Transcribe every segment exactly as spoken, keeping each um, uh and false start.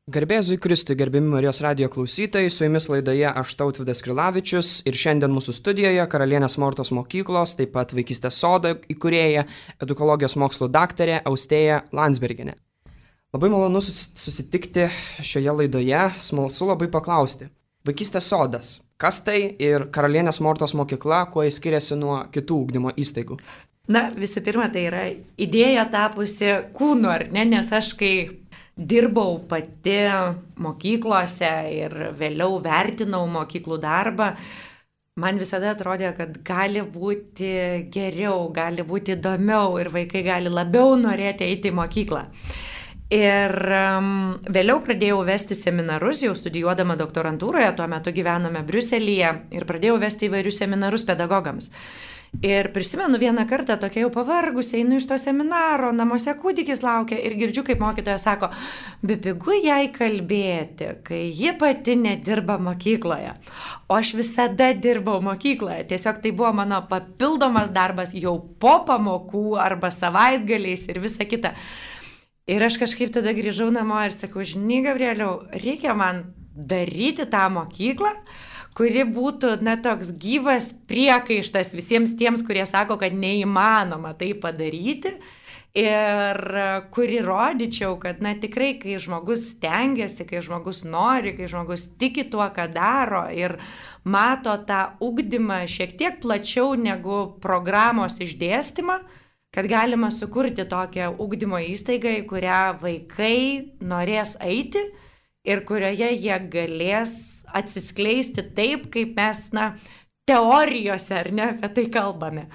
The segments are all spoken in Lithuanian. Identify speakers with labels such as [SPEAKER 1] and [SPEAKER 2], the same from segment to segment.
[SPEAKER 1] Garbėzui Kristui, gerbiami Marijos radijo klausytojai, su jumis laidoje aš Tautvydas Krilavičius ir šiandien mūsų studijoje Karalienės Mortos mokyklos, taip pat Vaikystės sodo įkūrėja, edukologijos mokslų daktarė Austėja Landsbergienė. Labai malonu susitikti šioje laidoje, smalsu labai paklausti. Vaikystės sodas, kas tai ir Karalienės Mortos mokykla, kuo jis skiriasi nuo kitų ugdymo įstaigų?
[SPEAKER 2] Na, visų pirma, tai yra idėja tapusi kūnu, ar ne, nes aš kai dirbau pati mokyklose ir vėliau vertinau mokyklų darbą, man visada atrodė, kad gali būti geriau, gali būti įdomiau ir vaikai gali labiau norėti eiti į mokyklą. Ir um, vėliau pradėjau vesti seminarus, jau studijuodama doktorantūroje, tuo metu gyvenome Briuselyje ir pradėjau vesti įvairius seminarus pedagogams. Ir prisimenu vieną kartą tokia jau pavargus, einu iš to seminaro, namuose kūdikis laukia ir girdžiu, kaip mokytoja sako, bepigu jai kalbėti, kai ji pati nedirba mokykloje. O aš visada dirbau mokykloje, tiesiog tai buvo mano papildomas darbas jau po pamokų arba savaitgaliais ir visa kita. Ir aš kažkaip tada grįžau namo ir sakau, žinai, Gabrieliau, reikia man daryti tą mokyklą, kuri būtų, na, toks gyvas priekaištas visiems tiems, kurie sako, kad neįmanoma tai padaryti ir kuri rodyčiau, kad, na, tikrai, kai žmogus stengiasi, kai žmogus nori, kai žmogus tiki tuo, ką daro ir mato tą ugdymą šiek tiek plačiau negu programos išdėstymą, kad galima sukurti tokią ugdymo įstaigą, į kurią vaikai norės eiti, ir kurioje jie galės atsiskleisti taip, kaip mes, na, teorijose, ar ne, apie tai kalbame.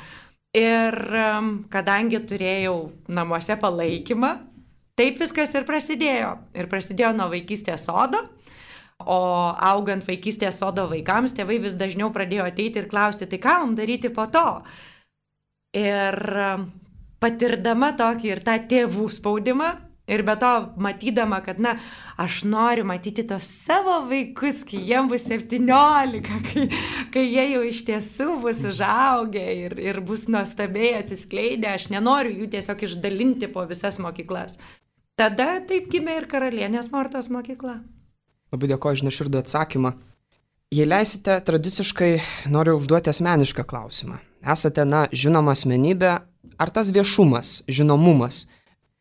[SPEAKER 2] Ir um, kadangi turėjau namuose palaikymą, taip viskas ir prasidėjo. Ir prasidėjo nuo Vaikystės sodo, o augant Vaikystės sodo vaikams, tėvai vis dažniau pradėjo ateiti ir klausti, tai ką mums daryti po to? Ir um, patirdama tokį ir tą tėvų spaudimą, ir be to, matydama, kad, na, aš noriu matyti tos savo vaikus, kai jiems bus septyniolika, kai, kai jie jau iš tiesų bus užaugę ir, ir bus nuostabiai atsiskleidę, aš nenoriu jų tiesiog išdalinti po visas mokyklas. Tada taip gimė ir Karalienės Mortos mokykla.
[SPEAKER 1] Labai dėkoju už nuoširdų atsakymą. Jei leisite, tradiciškai noriu užduoti asmenišką klausimą. Esate, na, žinoma asmenybė, ar tas viešumas, žinomumas,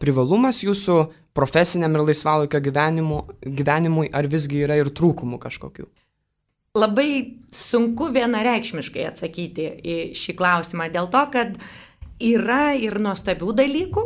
[SPEAKER 1] privalumas jūsų profesiniam ir laisvalaikio gyvenimu, gyvenimui, ar visgi yra ir trūkumų kažkokių?
[SPEAKER 2] Labai sunku vienareikšmiškai atsakyti į šį klausimą, dėl to, kad yra ir nuostabių dalykų,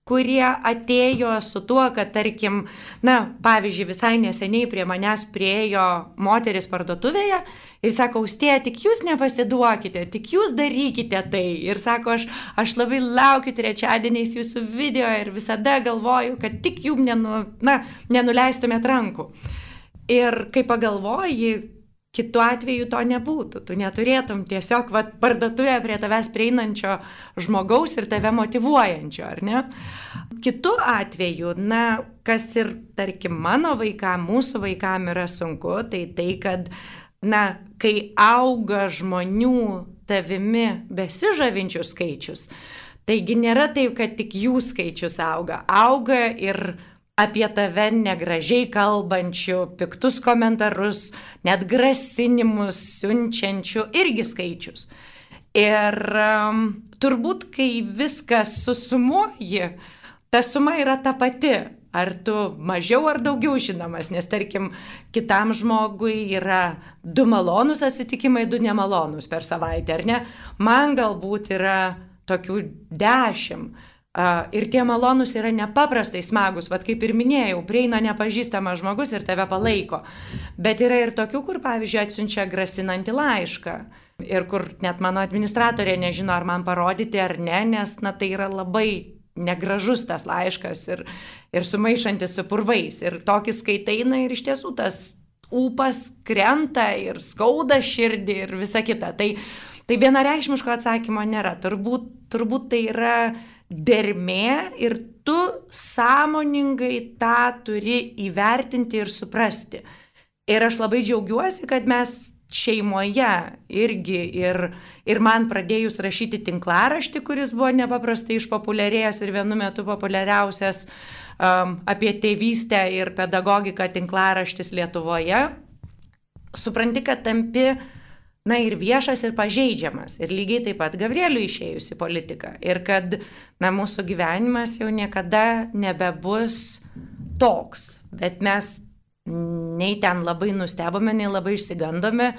[SPEAKER 2] kurie atėjo su tuo, kad, tarkim, na, pavyzdžiui, visai neseniai prie manęs priėjo moteris parduotuvėje ir sako, Austėja, tik jūs nepasiduokite, tik jūs darykite tai. Ir sako, aš, aš labai laukiu trečiadieniais jūsų video ir visada galvoju, kad tik jum nenu, na, nenuleistumėt rankų. Ir kai pagalvoji, kitu atveju to nebūtų. Tu neturėtum tiesiog va, parduotuvėje prie tavęs prieinančio žmogaus ir tave motyvuojančio, ar ne? Kitu atveju, na, kas ir, tarkim, mano vaikam, mūsų vaikam yra sunku, tai tai, kad, na, kai auga žmonių tavimi besižavinčių skaičius, taigi nėra taip, kad tik jų skaičius auga. Auga ir apie tave negražiai kalbančių, piktus komentarus, net grasinimus siunčiančių irgi skaičius. Ir um, turbūt, kai viskas susumuoji, ta suma yra ta pati. Ar tu mažiau ar daugiau žinomas, nes tarkim, kitam žmogui yra du malonūs atsitikimai, du nemalonūs per savaitę, ar ne? Man galbūt yra tokių dešimt. Uh, ir tie malonūs yra nepaprastai smagus, vat kaip ir minėjau, prieina nepažįstamas žmogus ir tave palaiko. Bet yra ir tokių, kur, pavyzdžiui, atsiunčia grasinantį laišką. Ir kur net mano administratorė nežino, ar man parodyti ar ne, nes, na, tai yra labai negražus tas laiškas ir, ir sumaišantis su purvais. Ir tokį skaitaina ir iš tiesų tas ūpas krenta ir skauda širdį ir visa kita. Tai, tai vienareikšmiško atsakymo nėra. Turbūt, turbūt tai yra dermė ir tu sąmoningai tą turi įvertinti ir suprasti. Ir aš labai džiaugiuosi, kad mes šeimoje irgi ir, ir man pradėjus rašyti tinklaraštį, kuris buvo nepaprastai išpopuliarėjęs ir vienu metu populiariausias um, apie tėvystę ir pedagogiką tinklaraštis Lietuvoje, supranti, kad tampi, na, ir viešas, ir pažeidžiamas. Ir lygiai taip pat Gabrieliui išėjus į politiką. Ir kad, na, mūsų gyvenimas jau niekada nebebus toks. Bet mes nei ten labai nustebome, nei labai išsigandome,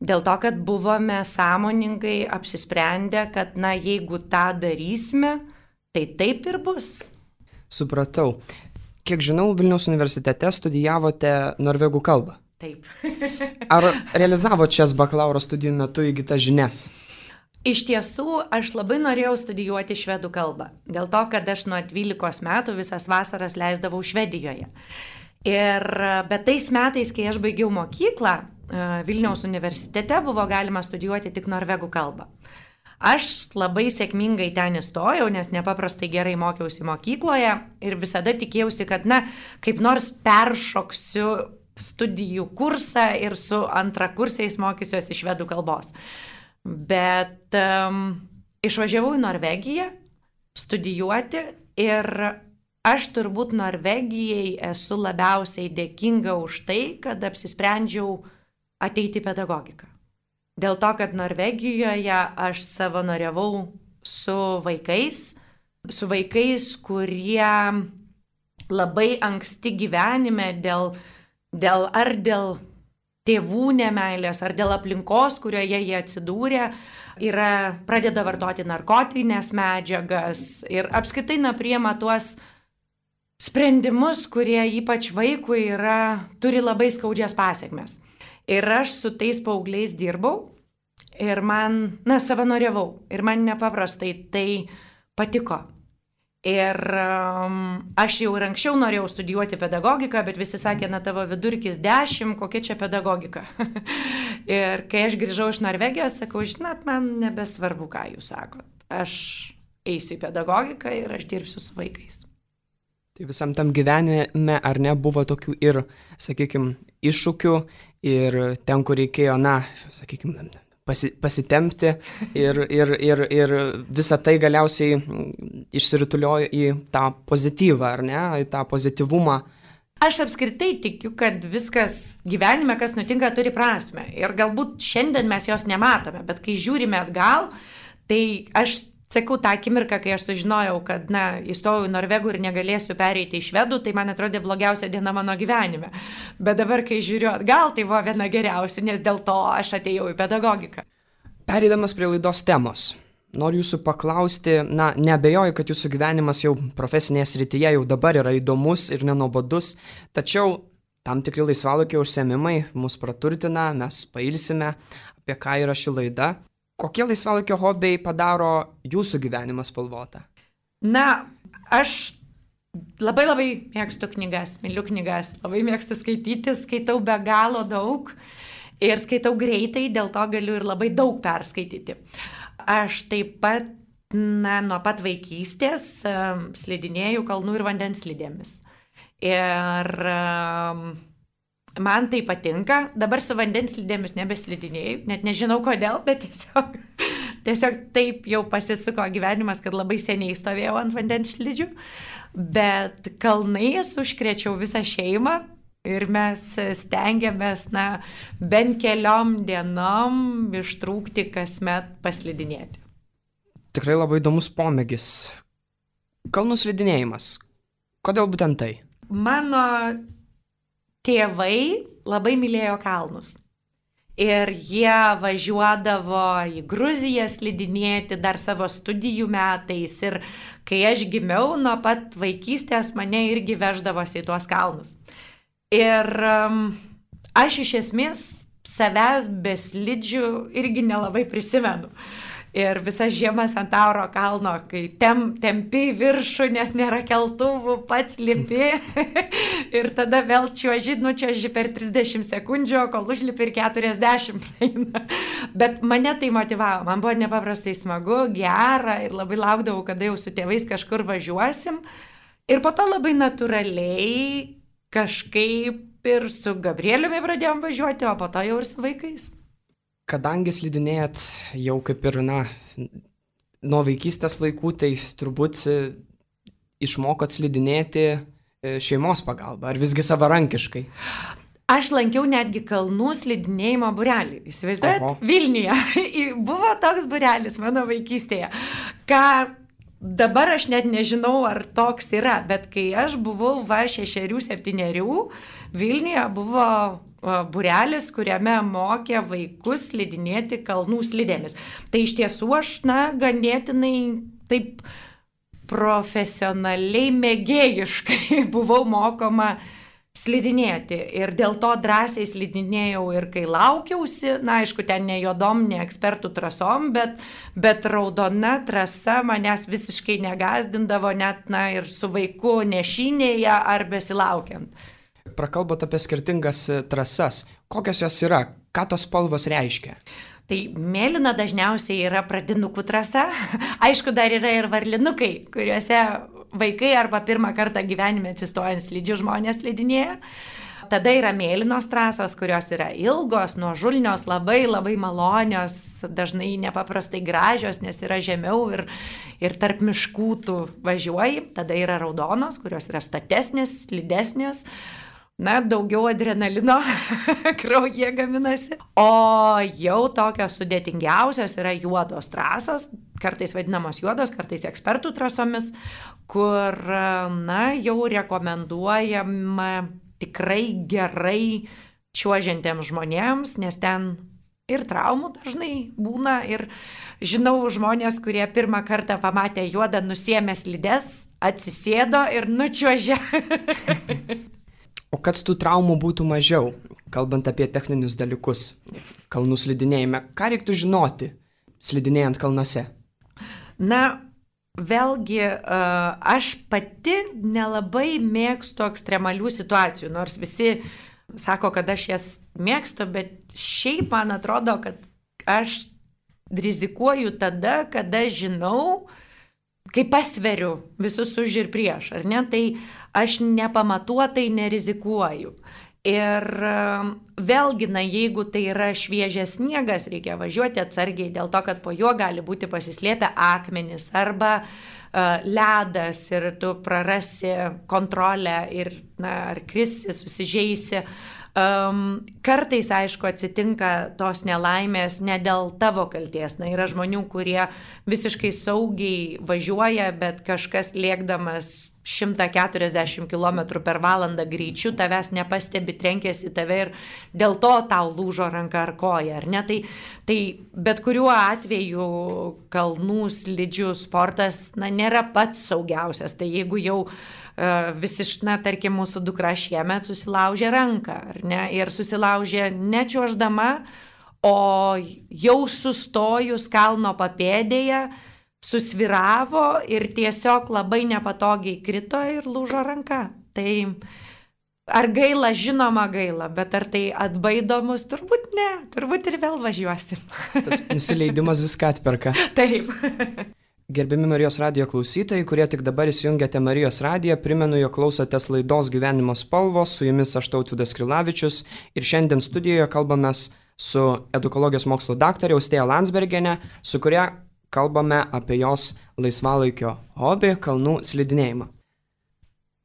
[SPEAKER 2] dėl to, kad buvome sąmoningai apsisprendę, kad, na, jeigu tą darysime, tai taip ir bus.
[SPEAKER 1] Supratau. Kiek žinau, Vilniaus universitete studijavote norvegų kalbą.
[SPEAKER 2] Taip.
[SPEAKER 1] Ar realizavo šias bakalauro studijų metu įgytas žinias?
[SPEAKER 2] Iš tiesų, aš labai norėjau studijuoti švedų kalbą. Dėl to, kad aš nuo dvylikos metų visas vasaras leisdavau Švedijoje. Ir bet tais metais, kai aš baigiau mokyklą, Vilniaus universitete buvo galima studijuoti tik norvegų kalbą. Aš labai sėkmingai ten įstojau, nes nepaprastai gerai mokiausi mokykloje ir visada tikėjausi, kad, na, kaip nors peršoksiu studijų kursą ir su antrakursiais mokysiuosi švedų kalbos. Bet um, išvažiavau į Norvegiją studijuoti ir aš turbūt Norvegijai esu labiausiai dėkinga už tai, kad apsisprendžiau ateiti į pedagogiką. Dėl to, kad Norvegijoje aš savanoriavau su vaikais, su vaikais, kurie labai anksti gyvenime dėl Dėl, ar dėl tėvų nemeilės, ar dėl aplinkos, kurioje jie atsidūrė, yra, pradeda vartoti narkotinės medžiagas ir apskritai na, priima tuos sprendimus, kurie ypač vaikui yra, turi labai skaudžias pasiekmes. Ir aš su tais paaugliais dirbau ir man, na, savanoriavau ir man nepaprastai tai patiko. Ir um, aš jau ir anksčiau norėjau studijuoti pedagogiką, bet visi sakė, na tavo vidurkis dešimt, kokia čia pedagogika. Ir kai aš grįžau iš Norvegijos, sakau, žinot, man nebesvarbu, ką jūs sakot. Aš eisiu į pedagogiką ir aš dirbsiu su vaikais.
[SPEAKER 1] Tai visam tam gyvenime, ar ne, buvo tokių ir, sakykime, iššūkių ir ten, kur reikėjo, na, sakykime, Pasi, pasitempti ir, ir, ir, ir visą tai galiausiai išsirutuliojo į tą pozityvą, ar ne, į tą pozityvumą.
[SPEAKER 2] Aš apskritai tikiu, kad viskas gyvenime, kas nutinka, turi prasmę. Ir galbūt šiandien mes jos nematome, bet kai žiūrime atgal, tai aš sakau tą akimirką, kai aš sužinojau, kad, na, įstojau į norvegų ir negalėsiu pereiti į švedų, tai man atrodė blogiausia diena mano gyvenime. Bet dabar, kai žiūriu atgal, tai buvo viena geriausių, nes dėl to aš atėjau į pedagogiką.
[SPEAKER 1] Pereidamas prie laidos temos, noriu jūsų paklausti, na, neabejoju, kad jūsų gyvenimas jau profesinėje srityje jau dabar yra įdomus ir nenuobodus, tačiau tam tikri laisvalaikio užsiėmimai mus praturtina, mes pailsime, apie ką yra ši laida. Kokie laisvalaikio hobiai padaro jūsų gyvenimą spalvotą?
[SPEAKER 2] Na, aš labai labai mėgstu knygas, myliu knygas, labai mėgstu skaityti, skaitau be galo daug ir skaitau greitai, dėl to galiu ir labai daug perskaityti. Aš taip pat, na, nuo pat vaikystės um, slidinėju kalnų ir vandens slidėmis. Ir um, man tai patinka, dabar su vandens slidėmis nebeslidinėjau, net nežinau kodėl, bet tiesiog, tiesiog taip jau pasisuko gyvenimas, kad labai seniai stovėjau ant vandens slidžių, bet kalnais užkrėčiau visą šeimą ir mes stengiamės, na, bent keliom dienom ištrūkti kasmet paslidinėti.
[SPEAKER 1] Tikrai labai įdomus pomėgis. Kalnų slidinėjimas. Kodėl būtent tai?
[SPEAKER 2] Mano tėvai labai mylėjo kalnus. Ir jie važiuodavo į Gruziją slidinėti dar savo studijų metais. Ir kai aš gimiau, nuo pat vaikystės mane irgi veždavosi į tuos kalnus. Ir um, aš iš esmės savęs be slidžių irgi nelabai prisimenu. Ir visas žiemas ant Tauro kalno, kai tem, tempi į viršų, nes nėra keltuvų, pats lipi ir tada vėl čiuoži, nu čiuoži per trisdešimt sekundžių, kol užlipi ir keturiasdešimt praeina. Bet mane tai motivavo, man buvo nepaprastai smagu, gera ir labai laukdavau, kada jau su tėvais kažkur važiuosim. Ir po to labai natūraliai kažkaip ir su Gabrieliumi pradėjom važiuoti, o po to jau ir su vaikais.
[SPEAKER 1] Kadangi slidinėjat jau kaip ir, na, nuo vaikystės laikų, tai turbūt išmokot slidinėti šeimos pagalba, ar visgi savarankiškai?
[SPEAKER 2] Aš lankiau netgi kalnų slidinėjimo būrelį. Įsivaizduojat, Vilniuje buvo toks būrelis mano vaikystėje, ką dabar aš net nežinau, ar toks yra, bet kai aš buvau va šešerių, septynerių, Vilniuje buvo būrelis, kuriame mokė vaikus slidinėti kalnų slidėmis. Tai iš tiesų aš, na, ganėtinai taip profesionaliai mėgėjiškai buvau mokoma slidinėti ir dėl to drąsiai slidinėjau ir kai laukiausi, na aišku, ten ne juodom, ne ekspertų trasom, bet, bet raudona trasa manęs visiškai negazdindavo net, na, ir su vaiku nešinėje ar besilaukiant.
[SPEAKER 1] Prakalbot apie skirtingas trasas. Kokios jos yra? Ką tos spalvos reiškia?
[SPEAKER 2] Tai mėlyna dažniausiai yra pradinukų trasa. Aišku, dar yra ir varlinukai, kuriuose vaikai arba pirmą kartą gyvenime atsistojant slidžių žmonės slidinėja. Tada yra mėlynos trasos, kurios yra ilgos, nuožulnios, labai labai malonios, dažnai nepaprastai gražios, nes yra žemiau ir, ir tarp miškų tu važiuoji. Tada yra raudonos, kurios yra statesnės, slidesnės. Na, daugiau adrenalino kraujyje gaminasi. O jau tokios sudėtingiausios yra juodos trasos, kartais vadinamos juodos, kartais ekspertų trasomis, kur, na, jau rekomenduojama tikrai gerai čiuožiantiems žmonėms, nes ten ir traumų dažnai būna. Ir žinau žmonės, kurie pirmą kartą pamatė juodą, nusiėmė slides, atsisėdo ir nučiuožė.
[SPEAKER 1] O kad tų traumų būtų mažiau, kalbant apie techninius dalykus, kalnų slidinėjime, ką reiktų žinoti slidinėjant kalnuose?
[SPEAKER 2] Na, vėlgi, aš pati nelabai mėgstu ekstremalių situacijų, nors visi sako, kad aš jas mėgstu, bet šiaip man atrodo, kad aš rizikuoju tada, kada žinau, kai pasveriu visus už ir prieš, ar ne, tai aš nepamatuotai nerizikuoju. Ir vėlgi, na, jeigu tai yra šviežias sniegas, reikia važiuoti atsargiai dėl to, kad po juo gali būti pasislėpę akmenys arba uh, ledas ir tu prarasi kontrolę ir, na, ar krisi, susižeisi. Um, kartais, aišku, atsitinka tos nelaimės ne dėl tavo kalties. Na, yra žmonių, kurie visiškai saugiai važiuoja, bet kažkas lėkdamas šimtą keturiasdešimt kilometrų per valandą greičiu tavęs nepastebi, trenkėsi į tave ir dėl to tau lūžo ranka ar koja, ar ne? Tai, tai bet kuriuo atveju kalnų slidžių sportas, na, nėra pats saugiausias. Tai jeigu jau uh, visiškai, na, tarkim, mūsų dukra šiemet susilaužė ranką, ar ne? Ir susilaužė ne čiuoždama, o jau sustojus kalno papėdėje, susviravo ir tiesiog labai nepatogiai krito ir lūžo ranka. Tai ar gaila, žinoma gaila, bet ar tai atbaido mus? Turbūt ne, turbūt ir vėl važiuosim.
[SPEAKER 1] Tas nusileidimas viską atperka.
[SPEAKER 2] Taip.
[SPEAKER 1] Gerbiami Marijos radijo klausytojai, kurie tik dabar įsijungiate Marijos radiją, primenu, jog klausotės laidos Gyvenimo spalvos, su jumis aš Tautvydas Krilavičius ir šiandien studijoje kalbamės su edukologijos mokslų daktare Austėja Landsbergienė, su kuria kalbame apie jos laisvalaikio hobį – kalnų slidinėjimą.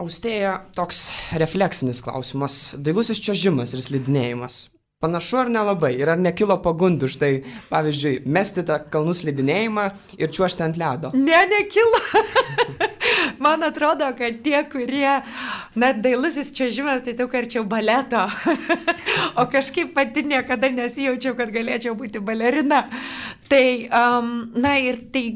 [SPEAKER 1] Austėja, toks refleksinis klausimas – dailusis čiuožimas ir slidinėjimas. Panašu ar nelabai? Ir ar nekilo pagundų štai, pavyzdžiui, mesti tą kalnų slidinėjimą ir čiuožti ant ledo?
[SPEAKER 2] Ne, nekilo. Man atrodo, kad tie, kurie, net dailusis čiuožimas, tai daug arčiau baleto. O kažkaip pati niekada nesijaučiau, kad galėčiau būti balerina. Tai, um, na ir tai,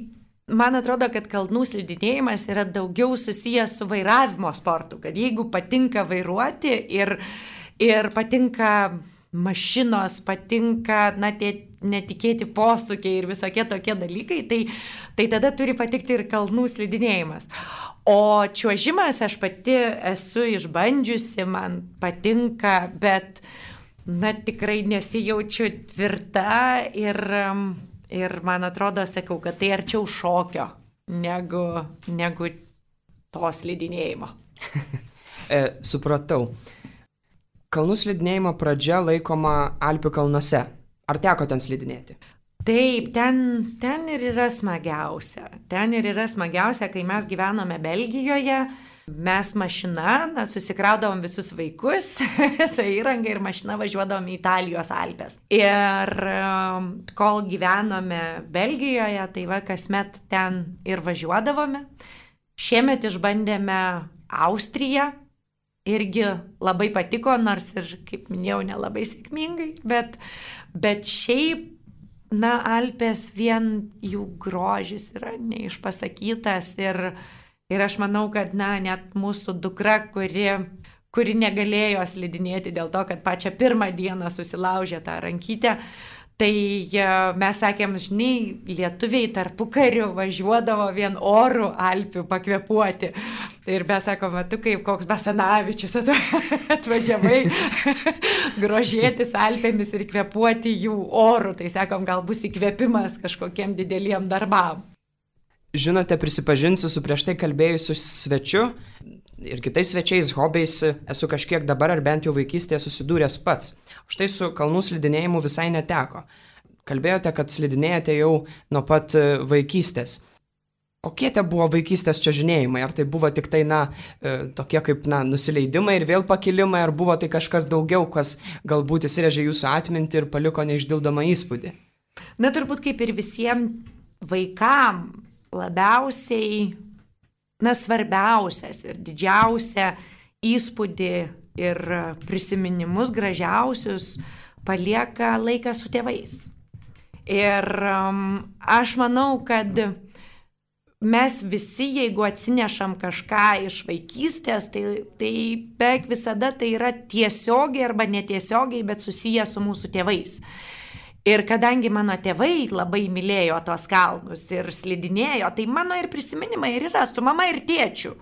[SPEAKER 2] man atrodo, kad kalnų slidinėjimas yra daugiau susijęs su vairavimo sportu. Kad jeigu patinka vairuoti ir, ir patinka mašinos, patinka, na, tie netikėti posūkiai ir visokie tokie dalykai, tai, tai tada turi patikti ir kalnų slidinėjimas. O čiuožimas aš pati esu išbandžiusi, man patinka, bet, na, tikrai nesijaučiu tvirta ir, ir man atrodo, sakau, kad tai arčiau šokio negu, negu to slidinėjimo.
[SPEAKER 1] e, supratau. Kalnų slidinėjimo pradžia laikoma Alpių kalnuose. Ar teko ten slidinėti?
[SPEAKER 2] Taip, ten, ten ir yra smagiausia. Ten ir yra smagiausia, kai mes gyvenome Belgijoje, mes mašina, na, susikraudavom visus vaikus, visą įrangą ir mašina važiuodavom į Italijos Alpes. Ir um, kol gyvenome Belgijoje, tai va, kasmet ten ir važiuodavome. Šiemet išbandėme Austriją. Irgi labai patiko, nors ir, kaip minėjau, nelabai sėkmingai, bet, bet šiaip, na, Alpės vien jų grožis yra neišpasakytas ir, ir aš manau, kad, na, net mūsų dukra, kuri, kuri negalėjo slidinėti dėl to, kad pačią pirmą dieną susilaužė tą rankytę, tai mes sakėm, žinai, lietuviai tarpukariu važiuodavo vien orų Alpių pakvėpuoti. Ir mes sakom, tu kaip koks Basanavičius atvažiavai grožėtis Alpėmis ir kvėpuoti jų orų. Tai sakom, gal bus įkvėpimas kažkokiem dideliem darbam.
[SPEAKER 1] Žinote, prisipažinsiu su prieš tai kalbėjusiu svečiu ir kitais svečiais, hobiais esu kažkiek dabar ar bent jau vaikystėje susidūręs pats. Štai su kalnų slidinėjimu visai neteko. Kalbėjote, kad slidinėjate jau nuo pat vaikystės. Kokie te buvo vaikystės čiuožinėjimai? Ar tai buvo tik tai, na, tokie kaip, na, nusileidimai ir vėl pakilimai, ar buvo tai kažkas daugiau, kas galbūt įsirėžė jūsų atmintį ir paliko neišdildomą įspūdį?
[SPEAKER 2] Na, turbūt kaip ir visiems vaikam labiausiai, na, svarbiausias ir didžiausia įspūdį ir prisiminimus gražiausius palieka laikas su tėvais. Ir um, aš manau, kad mes visi, jeigu atsinešam kažką iš vaikystės, tai, tai beveik visada tai yra tiesiogiai arba netiesiogiai, bet susiję su mūsų tėvais. Ir kadangi mano tėvai labai mylėjo tos kalnus ir slidinėjo, tai mano ir prisiminimai ir yra su mama ir tėčiu.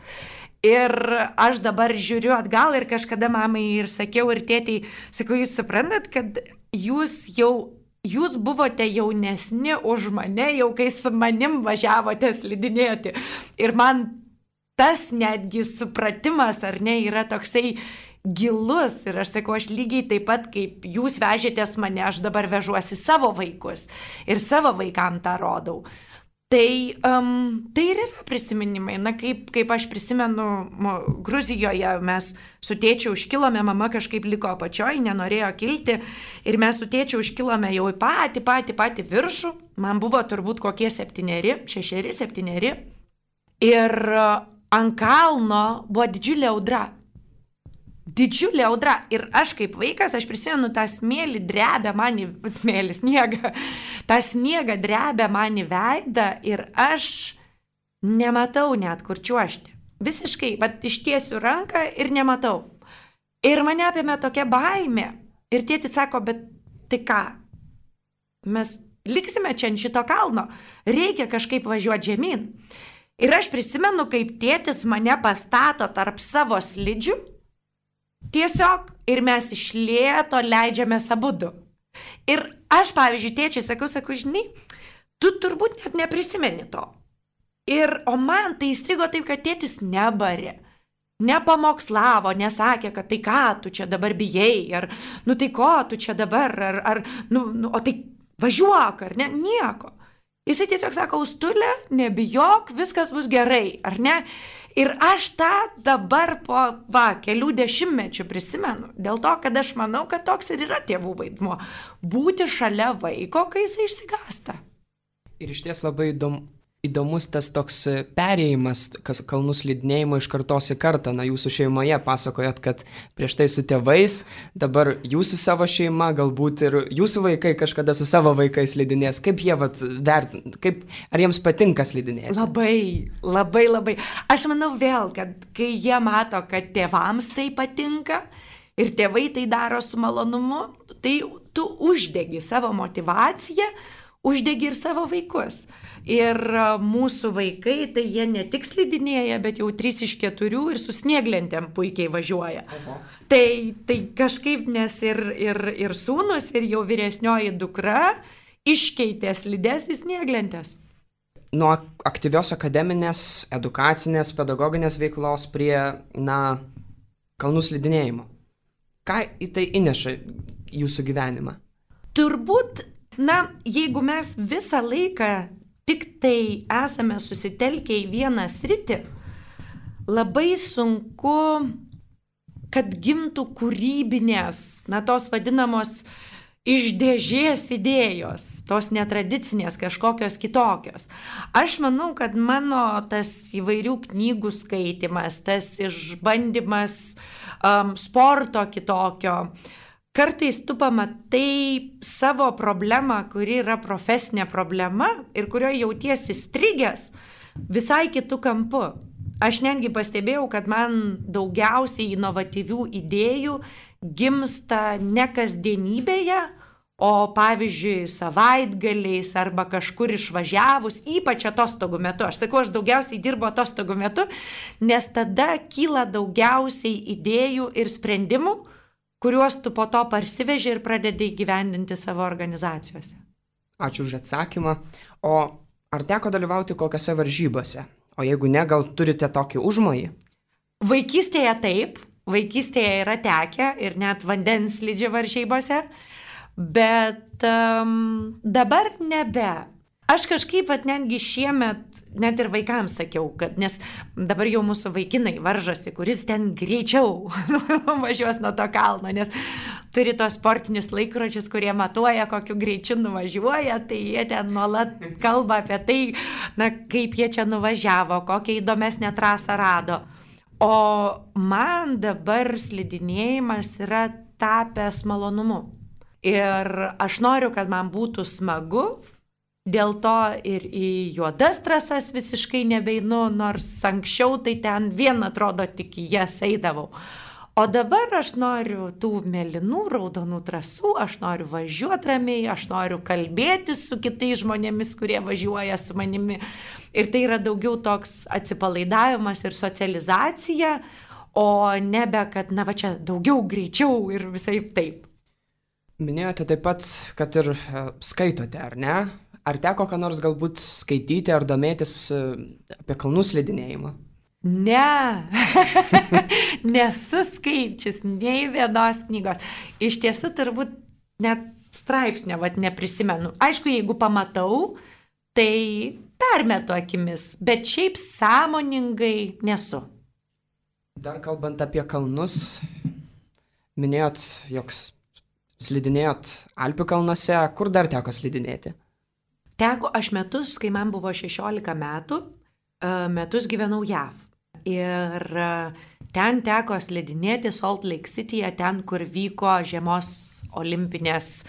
[SPEAKER 2] Ir aš dabar žiūriu atgal ir kažkada mamai ir sakiau ir tėtei, sakau, jūs suprantat, kad jūs jau, jūs buvote jaunesni už mane, jau kai su manim važiavote slidinėti. Ir man tas netgi supratimas, ar ne, yra toksai gilus. Ir aš sakau, aš lygiai taip pat, kaip jūs vežėtės mane, aš dabar vežuosi savo vaikus ir savo vaikam tą rodau. Tai, um, tai ir yra prisiminimai. Na, kaip, kaip aš prisimenu, Gruzijoje mes su tėčiu užkilome, mama kažkaip liko apačioj, nenorėjo kilti ir mes su tėčiu užkilome jau į patį, patį, patį viršų. Man buvo turbūt kokie septyneri, šešeri, septyneri. Ir ant kalno buvo didžiulė audra. Didžiulė audra. Ir aš kaip vaikas, aš prisimenu, tą smėlį drebė man į smėlį, sniegą. tą sniegą drebė man į veidą ir aš nematau net kur čiuožti. Visiškai, bet ištiesiu ranką ir nematau. Ir mane apėmė tokia baimė. Ir tėtis sako, bet tai ką? Mes liksime čia ant šito kalno. Reikia kažkaip važiuoti žemyn. Ir aš prisimenu, kaip tėtis mane pastato tarp savo slidžių. Tiesiog ir mes iš lėto leidžiamės abudu. Ir aš, pavyzdžiui, tėčiui sakau, sakau, žinai, tu turbūt net neprisimeni to. Ir, o man tai įstrigo taip, kad tėtis nebarė, nepamokslavo, nesakė, kad tai ką tu čia dabar bijai, ar, nu tai ko tu čia dabar, ar, ar nu, nu, o tai važiuok, ar ne, nieko. Jisai tiesiog sako, Austulė, nebijok, viskas bus gerai, ar ne? Ir aš tą dabar po, va, kelių dešimtmečių prisimenu, dėl to, kad aš manau, kad toks ir yra tėvų vaidmuo – būti šalia vaiko, kai jisai išsigąsta.
[SPEAKER 1] Ir iš ties labai įdom, įdomus tas toks perėjimas kalnų slidinėjimo iš kartos į kartą. Na, jūsų šeimoje pasakojot, kad prieš tai su tėvais, dabar jūsų savo šeima, galbūt ir jūsų vaikai kažkada su savo vaikais slidinės. Kaip jie vat, vertina, kaip, ar jiems patinka slidinėti?
[SPEAKER 2] Labai, labai, labai. Aš manau vėl, kad kai jie mato, kad tėvams tai patinka ir tėvai tai daro su malonumu, tai tu uždegi savo motivaciją, uždegi ir savo vaikus. Ir mūsų vaikai, tai jie ne tik slidinėja, bet jau trys iš keturių ir su snieglentėm puikiai važiuoja. Aha. Tai, tai kažkaip, nes ir, ir, ir sūnus, ir jau vyresnioji dukra iškeitė slides į snieglentės.
[SPEAKER 1] Nuo aktyvios akademinės, edukacinės, pedagoginės veiklos prie, na, kalnų slidinėjimo. Ką į tai įneša jūsų gyvenimą?
[SPEAKER 2] Turbūt na, jeigu mes visą laiką tik tai esame susitelkę į vieną sritį, labai sunku, kad gimtų kūrybinės, na, tos vadinamos iš dėžės idėjos, tos netradicinės, kažkokios kitokios. Aš manau, kad mano tas įvairių knygų skaitimas, tas išbandymas um, sporto kitokio, kartais tu pamatai savo problemą, kuri yra profesinė problema ir kurioje jautiesi strigęs visai kitų kampų. Aš netgi pastebėjau, kad man daugiausiai inovatyvių idėjų gimsta ne kasdienybėje, o pavyzdžiui savaitgaliais arba kažkur išvažiavus, ypač atostogų metu. Aš sakau, aš daugiausiai dirbu atostogų metu, nes tada kyla daugiausiai idėjų ir sprendimų, kuriuos tu po to parsiveži ir pradedi įgyvendinti savo organizacijose.
[SPEAKER 1] Ačiū už atsakymą. O ar teko dalyvauti kokiose varžybose? O jeigu ne, gal turite tokį užmojį?
[SPEAKER 2] Vaikystėje taip, vaikystėje yra tekę ir net vandens slidžių varžybose, bet um, dabar nebe. Aš kažkaip at netgi šiemet, net ir vaikams sakiau, kad nes dabar jau mūsų vaikinai varžosi, kuris ten greičiau važiuos nuo to kalno, nes turi tos sportinius laikrodžius, kurie matuoja, kokiu greičiu nuvažiuoja, tai jie ten nuolat kalba apie tai, na, kaip jie čia nuvažiavo, kokią įdomesnę trasą rado. O man dabar slidinėjimas yra tapęs malonumu. Ir aš noriu, kad man būtų smagu. Dėl to ir į juodas trasas visiškai nebeinu, nors anksčiau tai ten vien atrodo tik į jas eidavau. O dabar aš noriu tų mėlynų, raudonų trasų, aš noriu važiuoti ramiai, aš noriu kalbėtis su kitais žmonėmis, kurie važiuoja su manimi. Ir tai yra daugiau toks atsipalaidavimas ir socializacija, o nebe, kad na va čia daugiau, greičiau ir visai taip.
[SPEAKER 1] Minėjote taip pat, kad ir skaitote, ar ne? Ar teko ką nors galbūt skaityti ar domėtis apie kalnų slidinėjimą?
[SPEAKER 2] Ne, nesu skaičius nei vienos knygos. Iš tiesų turbūt net straipsnio vat, neprisimenu. Aišku, jeigu pamatau, tai permetu akimis, bet šiaip sąmoningai nesu.
[SPEAKER 1] Dar kalbant apie kalnus, minėjot, jog slidinėjot Alpių kalnuose, kur dar teko slidinėti?
[SPEAKER 2] Teko aš metus, kai man buvo šešiolika metų, metus gyvenau J A V. Ir ten teko slidinėti Salt Lake Cityje, ten, kur vyko žiemos olimpinės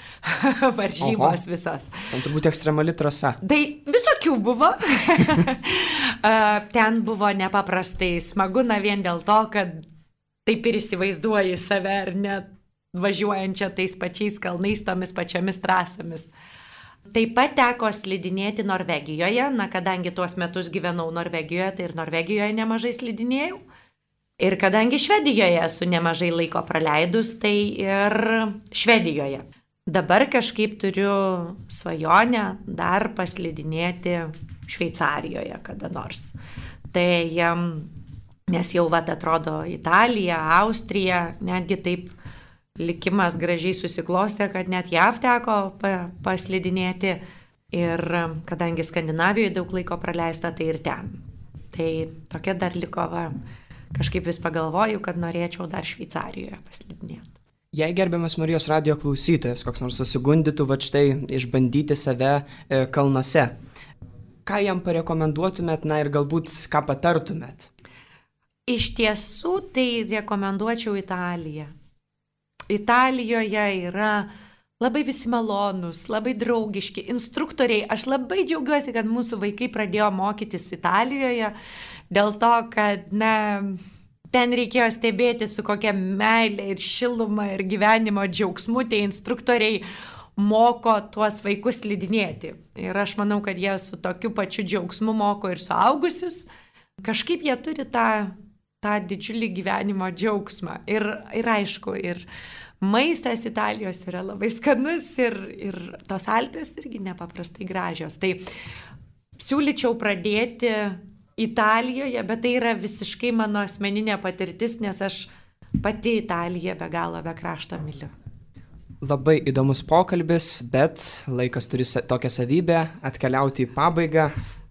[SPEAKER 2] varžybos Oho. Visos.
[SPEAKER 1] Ten turbūt ekstremali trasa.
[SPEAKER 2] Tai visokių buvo. Ten buvo nepaprastai smagu, na vien dėl to, kad taip ir įsivaizduoji save ar net važiuojančią tais pačiais kalnais, tomis pačiomis trasomis. Taip pat teko slidinėti Norvegijoje, na kadangi tuos metus gyvenau Norvegijoje, tai ir Norvegijoje nemažai slidinėjau. Ir kadangi Švedijoje esu nemažai laiko praleidus, tai ir Švedijoje. Dabar kažkaip turiu svajonę dar paslidinėti Šveicarijoje kada nors. Tai, nes jau vat atrodo Italija, Austrija, netgi taip likimas gražiai susiklostė, kad net J A V teko paslidinėti ir kadangi Skandinavijoje daug laiko praleista, tai ir ten. Tai tokia dar liko, va, kažkaip vis pagalvoju, kad norėčiau dar Šveicarijoje paslidinėti.
[SPEAKER 1] Jei gerbiamas Marijos radijo klausytojas, koks nors susigundytų, va štai išbandyti save e, kalnuose, ką jam parekomenduotumėt, na ir galbūt ką patartumėt?
[SPEAKER 2] Iš tiesų, tai rekomenduočiau Italiją. Italijoje yra labai visi malonūs, labai draugiški instruktoriai. Aš labai džiaugiuosi, kad mūsų vaikai pradėjo mokytis Italijoje, dėl to, kad na, ten reikėjo stebėti, su kokia meilė ir šiluma ir gyvenimo džiaugsmu tie instruktoriai moko tuos vaikus slidinėti. Ir aš manau, kad jie su tokiu pačiu džiaugsmu moko ir suaugusius. Kažkaip jie turi tą tą didžiulį gyvenimo džiaugsmą. Ir, ir aišku, ir maistas Italijos yra labai skanus ir, ir tos Alpės irgi nepaprastai gražios. Tai siūlyčiau pradėti Italijoje, bet tai yra visiškai mano asmeninė patirtis, nes aš pati Italiją be galo be krašto myliu.
[SPEAKER 1] Labai įdomus pokalbis, bet laikas turi tokią savybę atkeliauti į pabaigą.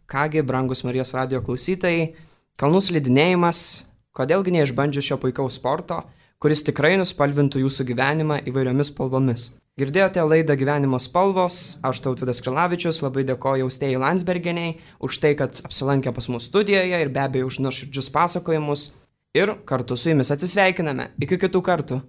[SPEAKER 1] Kągi, brangus Marijos radijo klausytojai, kalnų slidinėjimas, kodėlgi neišbandžius šio puikaus sporto, kuris tikrai nuspalvintų jūsų gyvenimą įvairiomis spalvomis. Girdėjote laidą Gyvenimo spalvos, aš Tautvydas Krilavičius, labai dėkoju Austėjai Landsbergienei už tai, kad apsilankė pas mus studijoje ir be abejo už nuoširdžius pasakojimus. Ir kartu su jumis atsisveikiname. Iki kitų kartų.